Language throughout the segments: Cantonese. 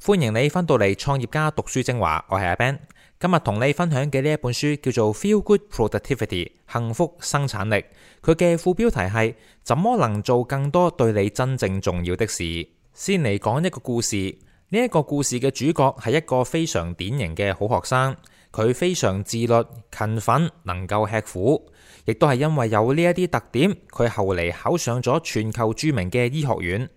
歡迎你返到嚟創業家讀書精華，我係阿 Ben。今日同你分享嘅呢一本書叫做 Feel Good Productivity 幸福生產力，佢嘅副標題係怎麼能做更多對你真正重要的事。先嚟講一個故事，呢一個故事嘅主角係一個非常典型嘅好學生，佢非常自律、勤奮，能夠吃苦，亦都係因為有呢一啲特點，佢後嚟考上咗全球著名嘅醫學院。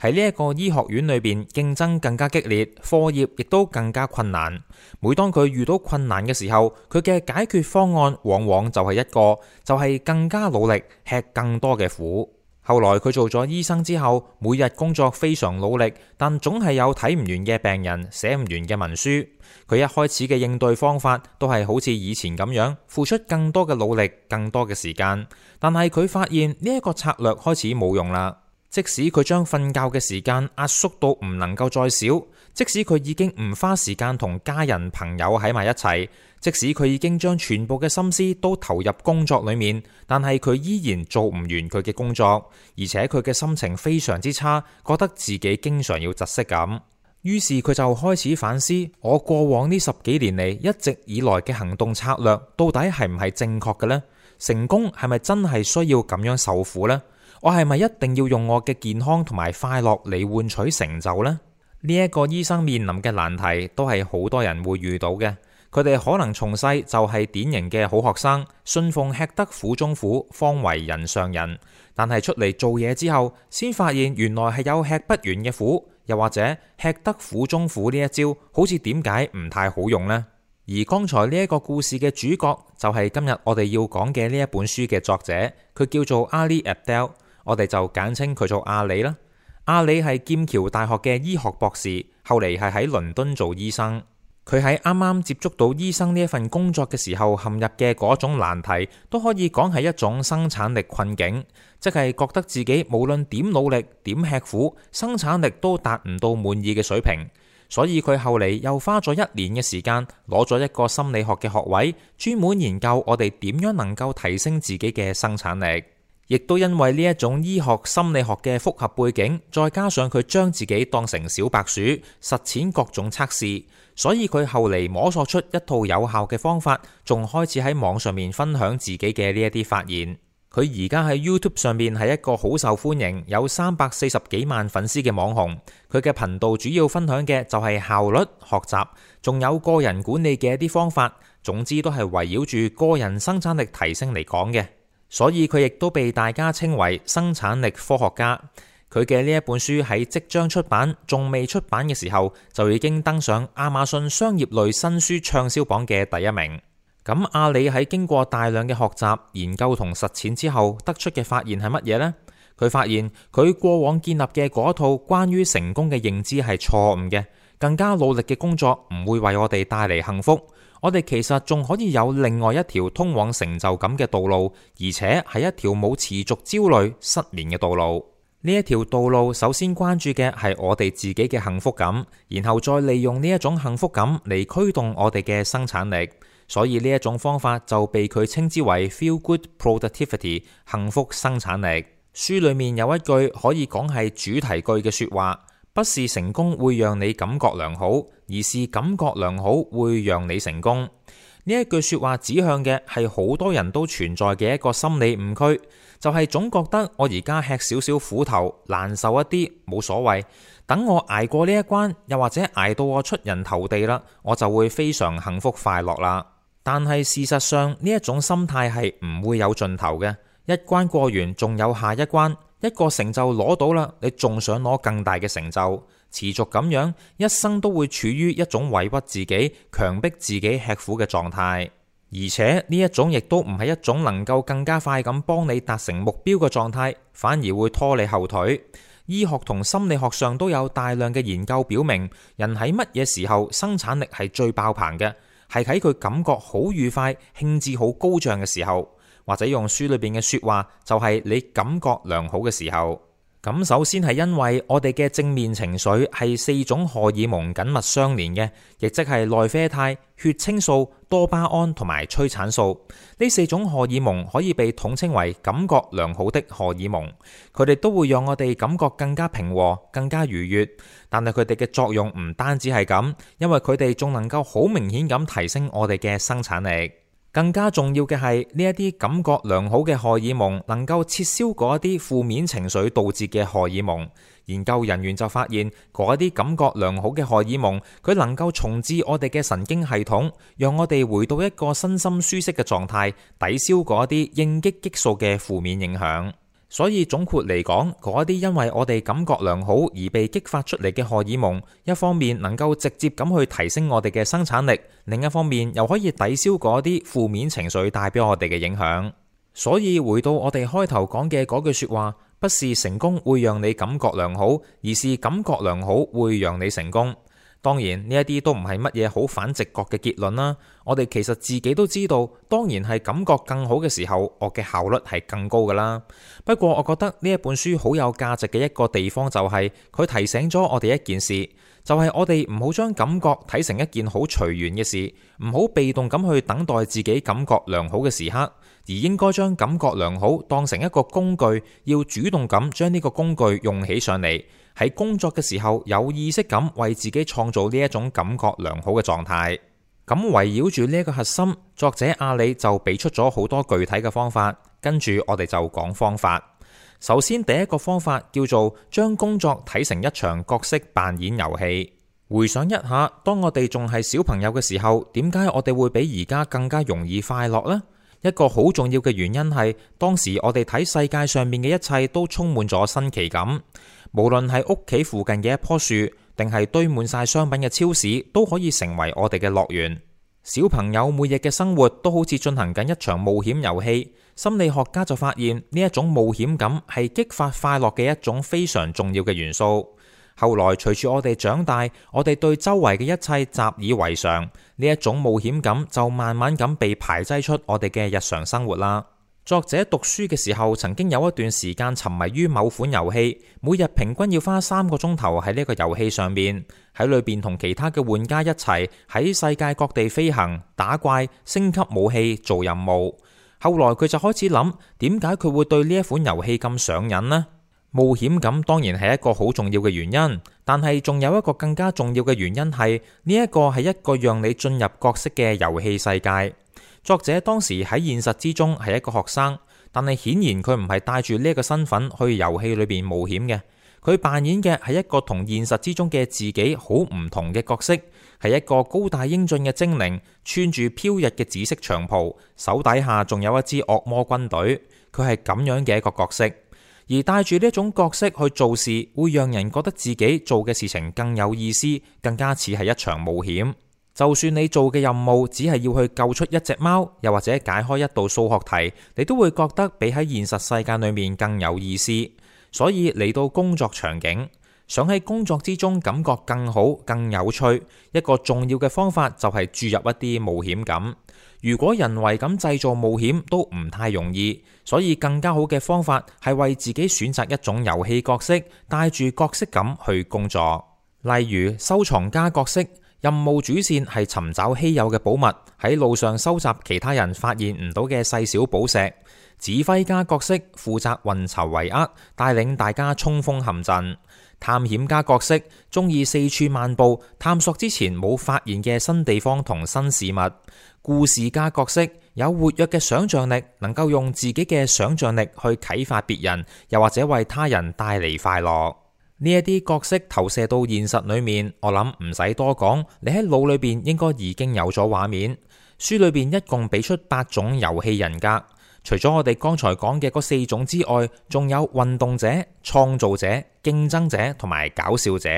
喺呢一個醫學院裏邊，競爭更加激烈，課業亦都更加困難。每當佢遇到困難嘅時候，佢嘅解決方案往往就係一個，就係更加努力，吃更多嘅苦。後來佢做咗醫生之後，每日工作非常努力，但總係有睇唔完嘅病人，寫唔完嘅文書。佢一開始嘅應對方法都係好似以前咁樣，付出更多嘅努力，更多嘅時間。但係佢發現呢一個策略開始冇用啦。即使佢將瞓覺嘅時間壓縮到唔能夠再少，即使佢已經唔花時間同家人朋友喺埋一齊，即使佢已經將全部嘅心思都投入工作裏面，但係佢依然做唔完佢嘅工作，而且佢嘅心情非常之差，覺得自己經常要窒息咁。於是佢就開始反思，我過往呢10幾年嚟一直以來嘅行動策略到底係唔係正確嘅呢？成功係咪真係需要咁樣受苦呢？我係咪一定要用我嘅健康同埋快樂嚟換取成就呢？呢一個醫生面臨嘅難題都係好多人會遇到嘅。佢哋可能從細就係典型嘅好學生，信奉吃得苦中苦，方為人上人。但係出嚟做嘢之後，先發現原來係有吃不完嘅苦，又或者吃得苦中苦呢一招，好似點解唔太好用呢？而剛才呢一個故事嘅主角就係今日我哋要講嘅呢一本書嘅作者，佢叫做 Ali Abdaal。我哋就簡稱佢做阿里啦。阿里係劍橋大學嘅醫學博士，後嚟係喺倫敦做醫生。佢喺啱啱接觸到醫生呢一份工作嘅時候陷入嘅嗰種難題，都可以講係一種生產力困境，即係覺得自己無論點努力、點吃苦，生產力都達唔到滿意嘅水平。所以佢後嚟又花咗1年嘅時間，攞咗一個心理學嘅學位，專門研究我哋點樣能夠提升自己嘅生產力。亦都因為呢一種醫學心理學嘅複合背景，再加上佢將自己當成小白鼠，實踐各種測試，所以佢後嚟摸索出一套有效嘅方法，仲開始喺網上面分享自己嘅呢一啲發現。佢而家喺 YouTube 上面係一個好受歡迎，有340幾萬粉絲嘅網紅。佢嘅頻道主要分享嘅就係效率、學習，仲有個人管理嘅一啲方法，總之都係圍繞住個人生產力提升嚟講嘅。所以佢亦都被大家稱為生產力科學家。佢嘅呢一本書喺即將出版，仲未出版嘅時候，就已經登上亞馬遜商業類新書暢銷榜嘅第1名。咁阿里喺經過大量嘅學習、研究同實踐之後，得出嘅發現係乜嘢呢？佢發現佢過往建立嘅嗰套關於成功嘅認知係錯誤嘅，更加努力嘅工作唔會為我哋帶嚟幸福。我哋其實仲可以有另外一條通往成就感嘅道路，而且係一條冇持續焦慮、失眠嘅道路。呢一條道路首先關注嘅係我哋自己嘅幸福感，然後再利用呢一種幸福感嚟驅動我哋嘅生產力。所以呢一種方法就被佢稱之為 Feel Good Productivity 幸福生產力。書裏面有一句可以講係主題句嘅說話，不是成功會讓你感覺良好，而是感覺良好會讓你成功。呢一句說話指向嘅係好多人都存在嘅一個心理誤區，就係總覺得我而家吃少少苦頭，難受一啲冇所謂，等我捱過呢一關，又或者捱到我出人頭地啦，我就會非常幸福快樂啦。但係事實上呢一種心態係唔會有盡頭嘅，一關過完仲有下一關。一個成就攞到啦，你仲想攞更大嘅成就，持續咁樣，一生都會處於一種委屈自己、強迫自己吃苦嘅狀態。而且呢一種亦都唔係一種能夠更加快咁幫你達成目標嘅狀態，反而會拖你後腿。醫學同心理學上都有大量嘅研究表明，人喺乜嘢時候生產力係最爆棚嘅，係喺佢感覺好愉快、興致好高漲嘅時候。或者用書裏邊嘅說話，就係你感覺良好嘅時候。咁首先係因為我哋嘅正面情緒係4種荷爾蒙緊密相連嘅，亦即係內啡肽、血清素、多巴胺同埋催產素。呢4種荷爾蒙可以被統稱為感覺良好的荷爾蒙，佢哋都會讓我哋感覺更加平和、更加愉悅。但係佢哋嘅作用唔單止係咁，因為佢哋仲能夠好明顯咁提升我哋嘅生產力。更加重要嘅係呢一啲感覺良好嘅荷爾蒙能夠撤銷嗰一啲負面情緒導致嘅荷爾蒙。研究人員就發現嗰一啲感覺良好嘅荷爾蒙，佢能夠重置我哋嘅神經系統，讓我哋回到一個身心舒適嘅狀態，抵消嗰一啲應激激素嘅負面影響。所以總括嚟講，嗰一啲因為我哋感覺良好而被激發出嚟嘅荷爾蒙，一方面能夠直接咁去提升我哋嘅生產力，另一方面又可以抵消嗰啲負面情緒帶俾我哋嘅影響。所以回到我哋開頭講嘅嗰句說話，不是成功會讓你感覺良好，而是感覺良好會讓你成功。當然呢一啲都唔係乜嘢好反直覺嘅結論啦。我哋其實自己都知道，當然係感覺更好嘅時候，我嘅效率係更高噶啦。不過我覺得呢一本書好有價值嘅一個地方就係佢提醒咗我哋一件事，就係我哋唔好將感覺睇成一件好隨緣嘅事，唔好被動咁去等待自己感覺良好嘅時刻，而應該將感覺良好當成一個工具，要主動咁將呢個工具用起上嚟。喺工作嘅時候有意識咁為自己創造呢一種感覺良好嘅狀態。咁圍繞住呢一個核心，作者阿里就俾出咗好多具體嘅方法，跟住我哋就講方法。首先第一個方法叫做將工作睇成一場角色扮演遊戲。回想一下，當我哋仲係小朋友嘅時候，點解我哋會比而家更加容易快樂呢？一個好重要嘅原因係當時我哋睇世界上面嘅一切都充滿咗新奇感。無論係屋企附近嘅一棵樹，定係堆滿晒商品嘅超市，都可以成為我哋嘅樂園。小朋友每日嘅生活都好似進行緊一場冒險遊戲。心理學家就發現呢一種冒險感係激發快樂嘅一種非常重要嘅元素。後來隨住我哋長大，我哋對周圍嘅一切習以為常，呢一種冒險感就慢慢咁被排擠出我哋嘅日常生活啦。作者讀書嘅時候，曾經有一段時間沉迷於某款遊戲，每日平均要花3個鐘頭喺呢個遊戲上面，喺裏邊同其他嘅玩家一齊喺世界各地飛行、打怪、升級武器、做任務。後來佢就開始諗，點解佢會對呢一款遊戲咁上癮呢？冒險感當然係一個好重要嘅原因，但係仲有一個更加重要嘅原因係呢一個係一個讓你進入角色嘅遊戲世界。作者當時喺現實之中係一個學生，但係顯然佢唔係帶住呢一個身份去遊戲裏邊冒險嘅。佢扮演嘅係一個同現實之中嘅自己好唔同嘅角色，係一個高大英俊嘅精靈，穿住飄逸嘅紫色長袍，手底下仲有一支惡魔軍隊。佢係咁樣嘅一個角色，而帶住呢一種角色去做事，會讓人覺得自己做嘅事情更有意思，更加似係一場冒險。就算你做嘅任務只係要去救出一隻貓，又或者解開一道數學題，你都會覺得比喺現實世界裏面更有意思。所以嚟到工作場景，想喺工作之中感覺更好、更有趣，一個重要嘅方法就係注入一啲冒險感。如果人為咁製造冒險都唔太容易，所以更加好嘅方法係為自己選擇一種遊戲角色，帶住角色感去工作。例如收藏家角色，任務主線係尋找稀有嘅寶物，喺路上收集其他人發現唔到嘅細小寶石。指揮家角色負責運籌帷幄，帶領大家衝鋒陷陣。探險家角色中意四處漫步，探索之前冇發現嘅新地方同新事物。故事家角色有活躍嘅想象力，能夠用自己嘅想象力去啟發別人，又或者為他人帶嚟快樂。呢一啲角色投射到現實裏面，我諗唔使多講，你喺腦裏邊應該已經有咗畫面。書裏邊一共俾出8種遊戲人格，除咗我哋剛才講嘅嗰4種之外，仲有運動者、創造者、競爭者同埋搞笑者。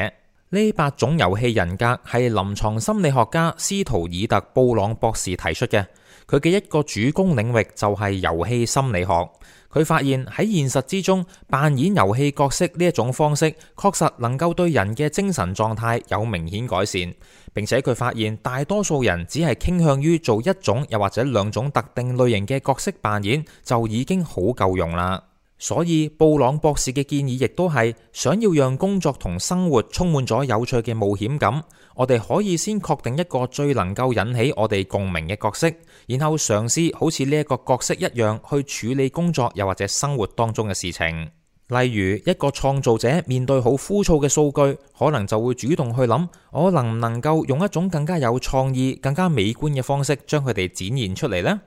呢8種遊戲人格係臨床心理學家斯圖爾特布朗博士提出嘅，佢嘅一個主攻領域就係遊戲心理學。佢發現喺現實之中扮演遊戲角色呢一種方式，確實能夠對人嘅精神狀態有明顯改善，並且佢發現大多數人只係傾向於做一種又或者2種特定類型嘅角色扮演，就已經好夠用啦。所以布朗博士嘅建議亦都係想要讓工作同生活充滿咗有趣嘅冒險感，我哋可以先確定一個最能夠引起我哋共鳴嘅角色，然後嘗試好似呢一個角色一樣去處理工作又或者生活當中嘅事情。例如一個創造者面對好枯燥嘅數據，可能就會主動去諗，我能唔能夠用一種更加有創意、更加美觀嘅方式將佢哋展現出嚟呢？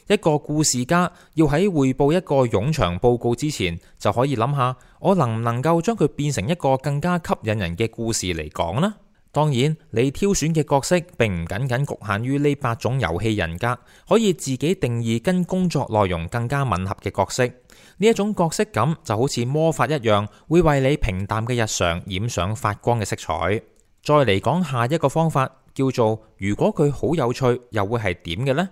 一個故事家要喺匯報一個冗長報告之前，就可以諗下，我能唔能夠將佢變成一個更加吸引人嘅故事嚟講呢？當然，你挑選嘅角色並唔僅僅局限於呢8種遊戲人格，可以自己定義跟工作內容更加吻合嘅角色。呢一種角色感就好似魔法一樣，會為你平淡嘅日常染上發光嘅色彩。再嚟講下一個方法，叫做如果佢好有趣，又會係點嘅呢？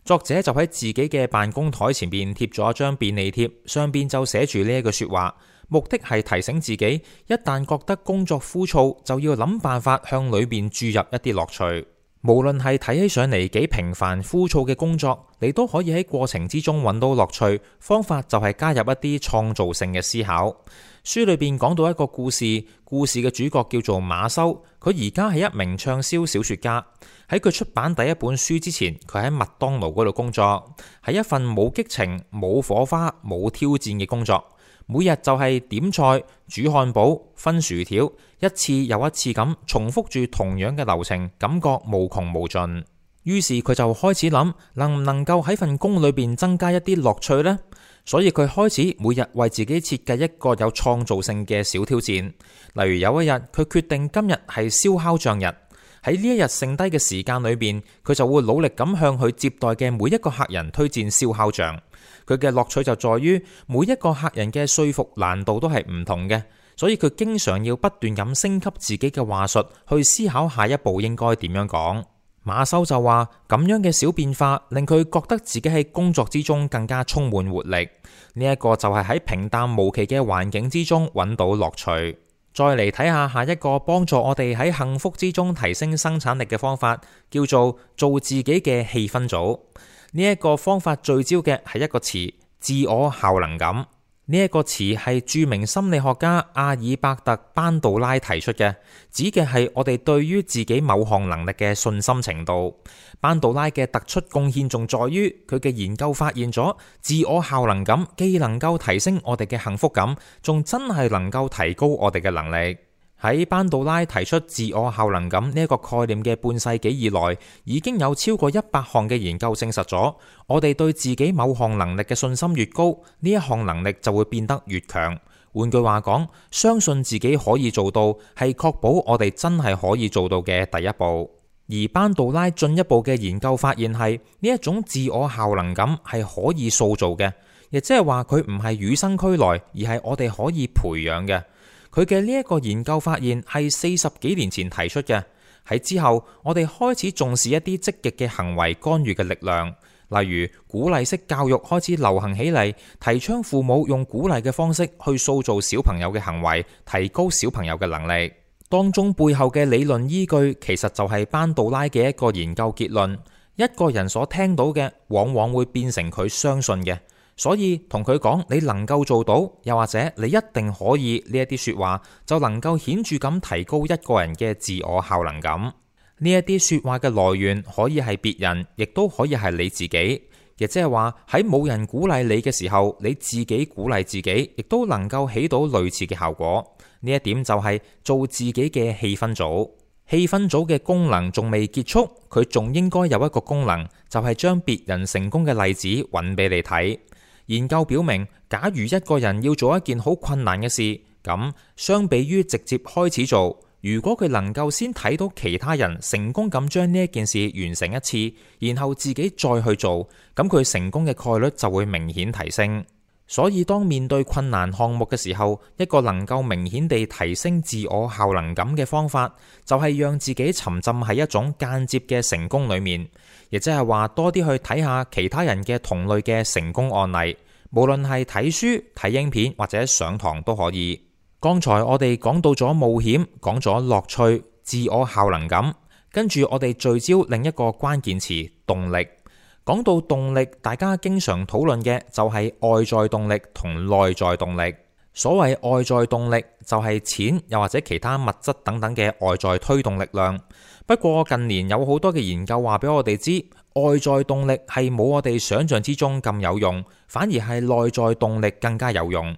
作者就喺自己嘅辦公台前邊貼咗一張便利貼，上邊就寫住呢一句說話，目的係提醒自己，一旦覺得工作枯燥，就要諗辦法向裏邊注入一啲樂趣。無論係睇起上嚟幾平凡枯燥嘅工作，你都可以喺過程之中揾到樂趣。方法就係加入一啲創造性嘅思考。書裏邊講到一個故事，故事嘅主角叫做馬修，佢而家係一名暢銷小說家。喺佢出版第一本書之前，佢喺麥當勞嗰度工作，係一份冇激情、冇火花、冇挑戰嘅工作。每日就係點菜、煮漢堡、分薯條，一次又一次咁重複住同樣嘅流程，感覺無窮無盡。於是佢就開始諗，能唔能夠喺份工裏邊增加一啲樂趣呢？所以佢開始每日為自己設計一個有創造性嘅小挑戰。例如有一日，佢決定今日係燒烤醬日。喺呢一日剩低嘅時間裏邊，佢就會努力咁向佢接待嘅每一個客人推薦燒烤醬。佢嘅樂趣就在於每一個客人嘅說服難度都係唔同嘅，所以佢經常要不斷咁升級自己嘅話術，去思考下一步應該點樣講。馬修就話咁樣嘅小變化令佢覺得自己喺工作之中更加充滿活力。呢一個就係喺平淡無奇嘅環境之中揾到樂趣。再嚟睇下下一個幫助我哋喺幸福之中提升生產力嘅方法，叫做做自己嘅氣氛組。呢一個方法聚焦嘅係一個詞，自我效能感。呢一個詞係著名心理學家阿爾伯特班杜拉提出嘅，指嘅係我哋對於自己某項能力嘅信心程度。班杜拉嘅突出貢獻仲在於佢嘅研究發現咗，自我效能感既能夠提升我哋嘅幸福感，仲真係能夠提高我哋嘅能力。喺班杜拉提出自我效能感呢一個概念嘅半世紀以來，已經有超過100項嘅研究證實咗，我哋對自己某項能力嘅信心越高，呢一項能力就會變得越強。換句話講，相信自己可以做到，係確保我哋真係可以做到嘅第一步。而班杜拉進一步嘅研究發現係，呢一種自我效能感係可以塑造嘅，亦即係話佢唔係與生俱來，而係我哋可以培養嘅。佢嘅呢一個研究發現係40幾年前提出嘅，喺之後我哋開始重視一啲積極嘅行為干預嘅力量，例如鼓勵式教育開始流行起嚟，提倡父母用鼓勵嘅方式去塑造小朋友嘅行為，提高小朋友嘅能力。當中背後嘅理論依據其實就係班杜拉嘅一個研究結論，一個人所聽到嘅往往會變成佢相信嘅。所以同佢講你能夠做到，又或者你一定可以呢一啲說話，就能夠顯著咁提高一個人嘅自我效能感。呢一啲說話嘅來源可以係別人，亦都可以係你自己。亦即係話喺冇人鼓勵你嘅時候，你自己鼓勵自己，亦都能夠起到類似嘅效果。呢一點就係做自己嘅氣氛組。氣氛組嘅功能仲未結束，佢仲應該有一個功能，就係將別人成功嘅例子揾俾你睇。研究表明，假如一個人要做一件好困難嘅事，咁相比於直接開始做，如果佢能夠先睇到其他人成功咁將呢一件事完成一次，然後自己再去做，咁佢成功嘅概率就會明顯提升。所以當面對困難項目嘅時候，一個能夠明顯地提升自我效能感嘅方法，就係讓自己沉浸喺一種間接嘅成功裏面，亦即係話多啲去睇下其他人嘅同類嘅成功案例，無論係睇書、睇影片或者上堂都可以。剛才我哋講到咗冒險，講咗樂趣、自我效能感，跟住我哋聚焦另一個關鍵詞動力。講到動力，大家經常討論嘅就係外在動力同內在動力。所謂外在動力就係錢又或者其他物質等等嘅外在推動力量。不過近年有好多嘅研究話俾我哋知，外在動力係冇我哋想象之中咁有用，反而係內在動力更加有用。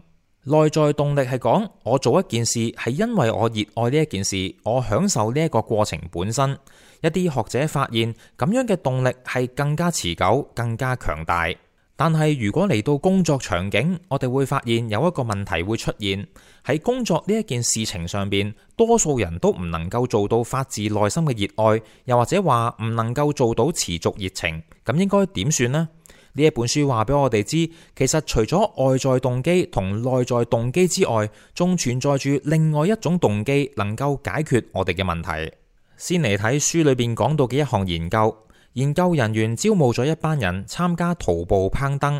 內在動力係講我做一件事係因為我熱愛呢一件事，我享受呢一個過程本身。一啲學者發現咁樣嘅動力係更加持久、更加強大。但係如果嚟到工作場景，我哋會發現有一個問題會出現，喺工作呢一件事情上邊，多數人都唔能夠做到發自內心嘅熱愛，又或者話唔能夠做到持續熱情，咁應該點算呢？呢一本書話俾我哋知，其實除咗外在動機同內在動機之外，仲存在住另外一種動機能夠解決我哋嘅問題。先嚟睇書裏邊講到嘅一項研究。研究人員招募咗一班人參加徒步攀登，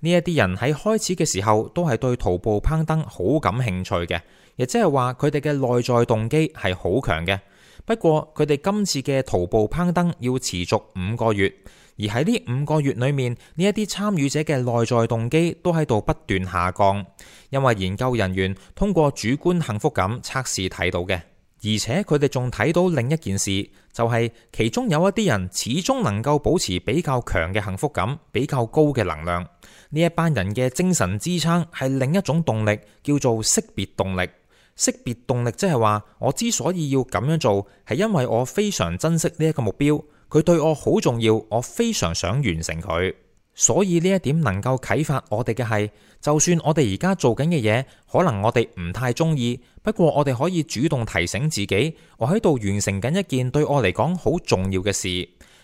呢一啲人喺開始嘅時候都係對徒步攀登好感興趣嘅，亦即係話佢哋嘅內在動機係好強嘅。不過佢哋今次嘅徒步攀登要持續5個月，而喺呢5個月裏面，呢一啲參與者嘅內在動機都喺度不斷下降，因為研究人員通過主觀幸福感測試睇到嘅。而且佢哋仲睇到另一件事，就係其中有一啲人始終能夠保持比較強嘅幸福感，比較高嘅能量。呢一班人嘅精神支撐係另一種動力，叫做識別動力。識別動力即係話，我之所以要咁樣做，係因為我非常珍惜呢一個目標，佢對我好重要，我非常想完成佢。所以呢一點能夠啟發我哋嘅係，就算我哋而家做緊嘅嘢，可能我哋唔太中意，不過我哋可以主動提醒自己，我喺度完成緊一件對我嚟講好重要嘅事。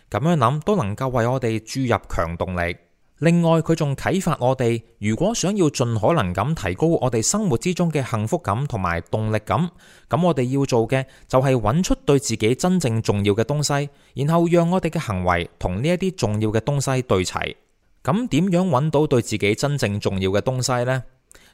咁樣諗都能夠為我哋注入強動力。另外，佢仲啟發我哋，如果想要盡可能咁提高我哋生活之中嘅幸福感同埋動力感，咁我哋要做嘅就係揾出對自己真正重要嘅東西，然後讓我哋嘅行為同呢一啲重要嘅東西對齊。咁點樣揾到對自己真正重要嘅東西呢？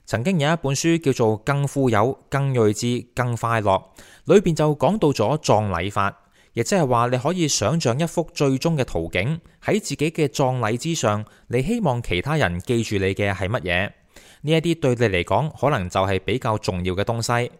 曾經有一本書叫做《更富有、更睿智、更快樂》，裏邊就講到咗葬禮法，亦即係話你可以想象一幅最終嘅圖景，喺自己嘅葬禮之上，你希望其他人記住你嘅係乜嘢？呢一啲對你嚟講可能就係比較重要嘅東西。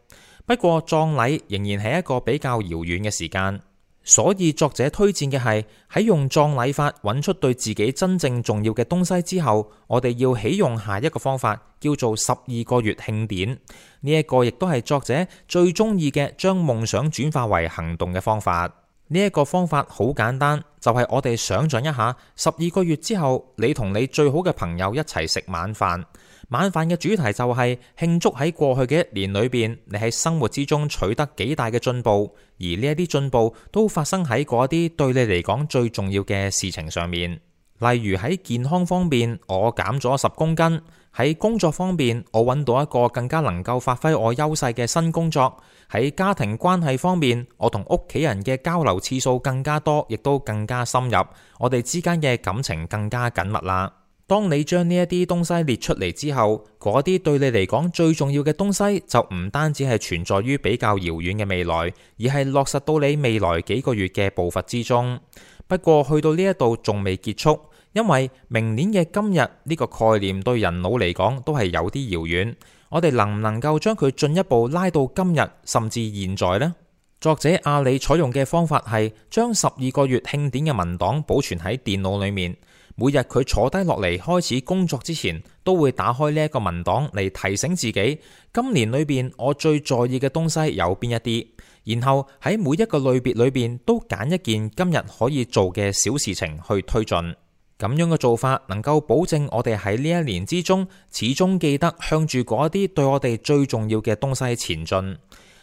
不過葬禮仍然係一個比較遙遠嘅時間。所以作者推薦嘅係喺用葬禮法揾出對自己真正重要嘅東西之後，我哋要起用下一個方法，叫做12個月慶典。呢一個亦都係作者最中意嘅將夢想轉化為行動嘅方法。呢一個方法好簡單，就係我哋想象一下，12個月之後，你同你最好嘅朋友一齊食晚飯。晚飯嘅主題就係慶祝喺過去嘅1年裏邊，你喺生活之中取得幾大嘅進步，而呢一啲進步都發生喺嗰啲對你嚟講最重要嘅事情上面。例如喺健康方面，我減咗10公斤；喺工作方面，我揾到一個更加能夠發揮我優勢嘅新工作；喺家庭關係方面，我同屋企人嘅交流次數更加多，亦都更加深入，我哋之間嘅感情更加緊密啦。當你將呢一啲東西列出嚟之後，嗰啲對你嚟講最重要嘅東西就唔單止係存在於比較遙遠嘅未來，而係落實到你未來幾個月嘅步伐之中。不過去到呢一度仲未結束，因為明年嘅今日呢個概念對人腦嚟講都係有啲遙遠。我哋能唔能夠將佢進一步拉到今日甚至現在呢？作者阿里採用嘅方法係將12個月慶典嘅文檔保存喺電腦裏面。每日佢坐低落嚟開始工作之前，都會打開呢一個文檔嚟提醒自己，今年裏邊我最在意嘅東西有邊一啲，然後喺每一個類別裏邊都揀一件今日可以做嘅小事情去推進。咁樣嘅做法能夠保證我哋喺呢一年之中始終記得向住嗰一啲對我哋最重要嘅東西前進。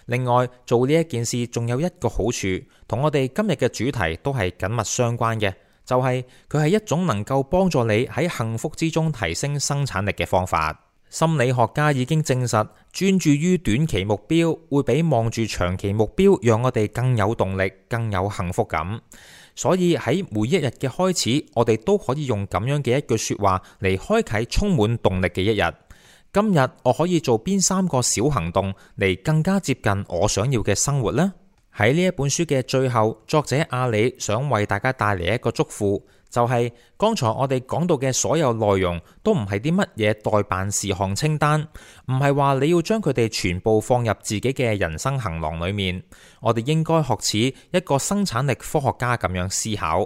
另外，做呢一件事仲有一個好處，同我哋今日嘅主題都係緊密相關嘅。就係佢係一種能夠幫助你喺幸福之中提升生產力嘅方法。心理學家已經證實，專注於短期目標會比望住長期目標讓我哋更有動力、更有幸福感。所以喺每一日嘅開始，我哋都可以用咁樣嘅一句說話嚟開啟充滿動力嘅一日。今日我可以做邊3個小行動嚟更加接近我想要嘅生活呢？喺呢一本書嘅最後，作者阿里想為大家帶嚟一個囑咐，就係剛才我哋講到嘅所有內容都唔係啲乜嘢待辦事項清單，唔係話你要將佢哋全部放入自己嘅人生行囊裏面。我哋應該學似一個生產力科學家咁樣思考。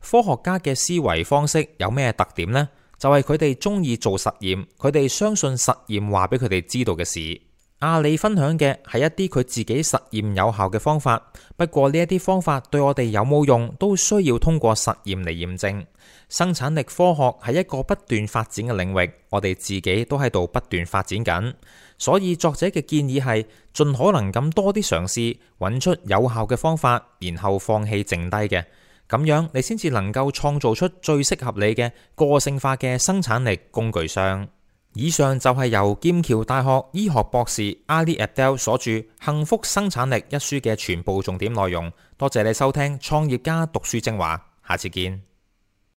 科學家嘅思維方式有咩特點呢？就係佢哋中意做實驗，佢哋相信實驗話俾佢哋知道嘅事。阿里分享嘅係一啲佢自己實驗有效嘅方法，不過呢一啲方法對我哋有冇用，都需要通過實驗嚟驗證。生產力科學係一個不斷發展嘅領域，我哋自己都喺度不斷發展緊。所以作者嘅建議係盡可能咁多啲嘗試，揾出有效嘅方法，然後放棄剩低嘅。咁樣你先至能夠創造出最適合你嘅個性化嘅生產力工具箱。以上就係由劍橋大學醫學博士 Ali Abdaal 所著《幸福生產力》一書嘅全部重點內容。多謝你收聽創業家讀書精華，下次見。